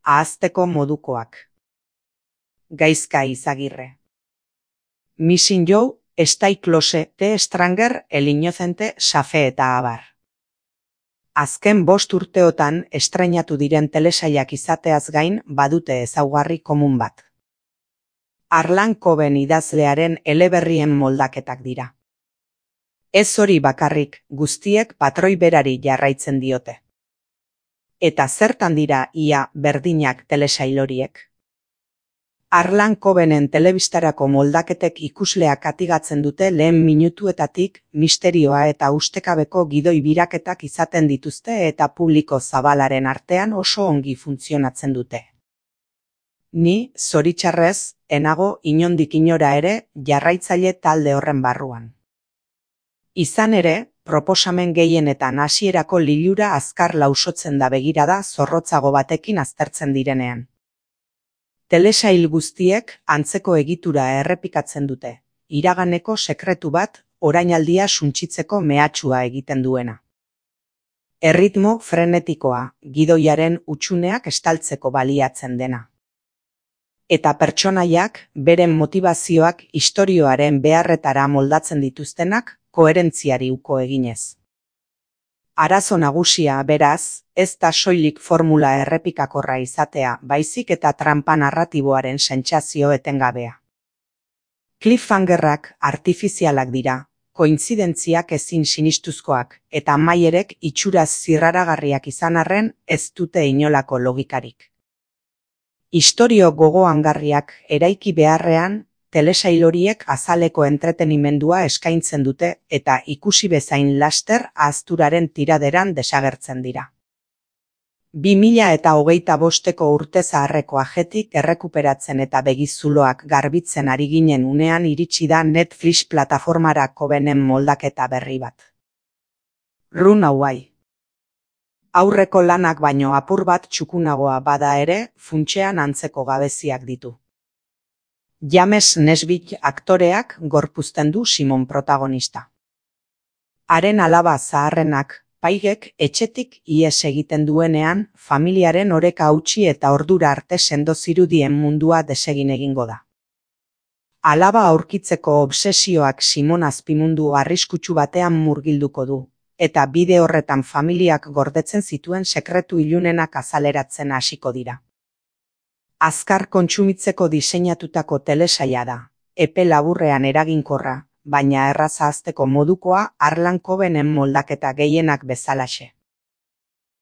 ahazteko modukoak. Gaizka Izagirre. Missing You, Stay Close, The Stranger, El Inocente, Safe eta abar. Azken 5 urteotan estreinatu diren telesailak izateaz gain badute ezaugarri komun bat. Harlan Coben idazlearen eleberrien moldaketak dira. Ez hori bakarrik, guztiek patroi berari jarraitzen diote. Eta zertan dira ia berdinak telesail horiek? Harlan Cobenen telebistarako moldaketek ikusleak atigatzen dute lehen minutuetatik misterioa eta ustekabeko gidoi biraketak izaten dituzte eta publiko zabalaren artean oso ongi funtzionatzen dute. Ni, zoritxarrez, enago inondik inora ere jarraitzaile talde horren barruan. Izan ere, proposamen gehienetan hasierako lilura azkar lausotzen da begirada zorrotzago batekin aztertzen direnean. Telesail guztiek antzeko egitura errepikatzen dute, iraganeko sekretu bat orainaldia suntsitzeko mehatxua egiten duena. Erritmo frenetikoa, gidoiaren hutsuneak estaltzeko baliatzen dena. Eta pertsonaiak beren motivazioak istorioaren beharretara moldatzen dituztenak koherentziari uko eginez. Arazo nagusia, beraz, ez da soilik formula errepikakorra izatea, baizik eta trampa narratiboaren sentsazio etengabea. Cliffhangerrak artifizialak dira, kointzidentziak ezin sinistuzkoak, eta amaierek itxuraz zirraragarriak izan arren ez dute inolako logikarik. Istorio gogoangarriak eraiki beharrean, telesail horiek azaleko entretenimendua eskaintzen dute eta ikusi bezain laster ahazturaren tiraderan desagertzen dira. 2025ko urte zaharreko ajetik errekuperatzen eta begizuloak garbitzen ari ginen unean iritsi da Netflix plataformara Cobenen moldaketa berri bat. Runaway. Aurreko lanak baino apur bat txukunagoa bada ere, funtsean antzeko gabeziak ditu. James Nesbitt aktoreak gorpuzten du Simon protagonista. Haren alaba zaharrenak, Paigek etxetik ihes egiten duenean, familiaren oreka hautsi eta ordura arte sendo zirudien mundua desegin egingo da. Alaba aurkitzeko obsesioak Simon azpimundu arriskutsu batean murgilduko du, eta bide horretan familiak gordetzen zituen sekretu ilunenak azaleratzen hasiko dira. Azkar kontsumitzeko diseinatutako telesaila da, epe laburrean eraginkorra, baina erraz ahazteko modukoa Harlan Cobenen moldaketa gehienak bezalaxe.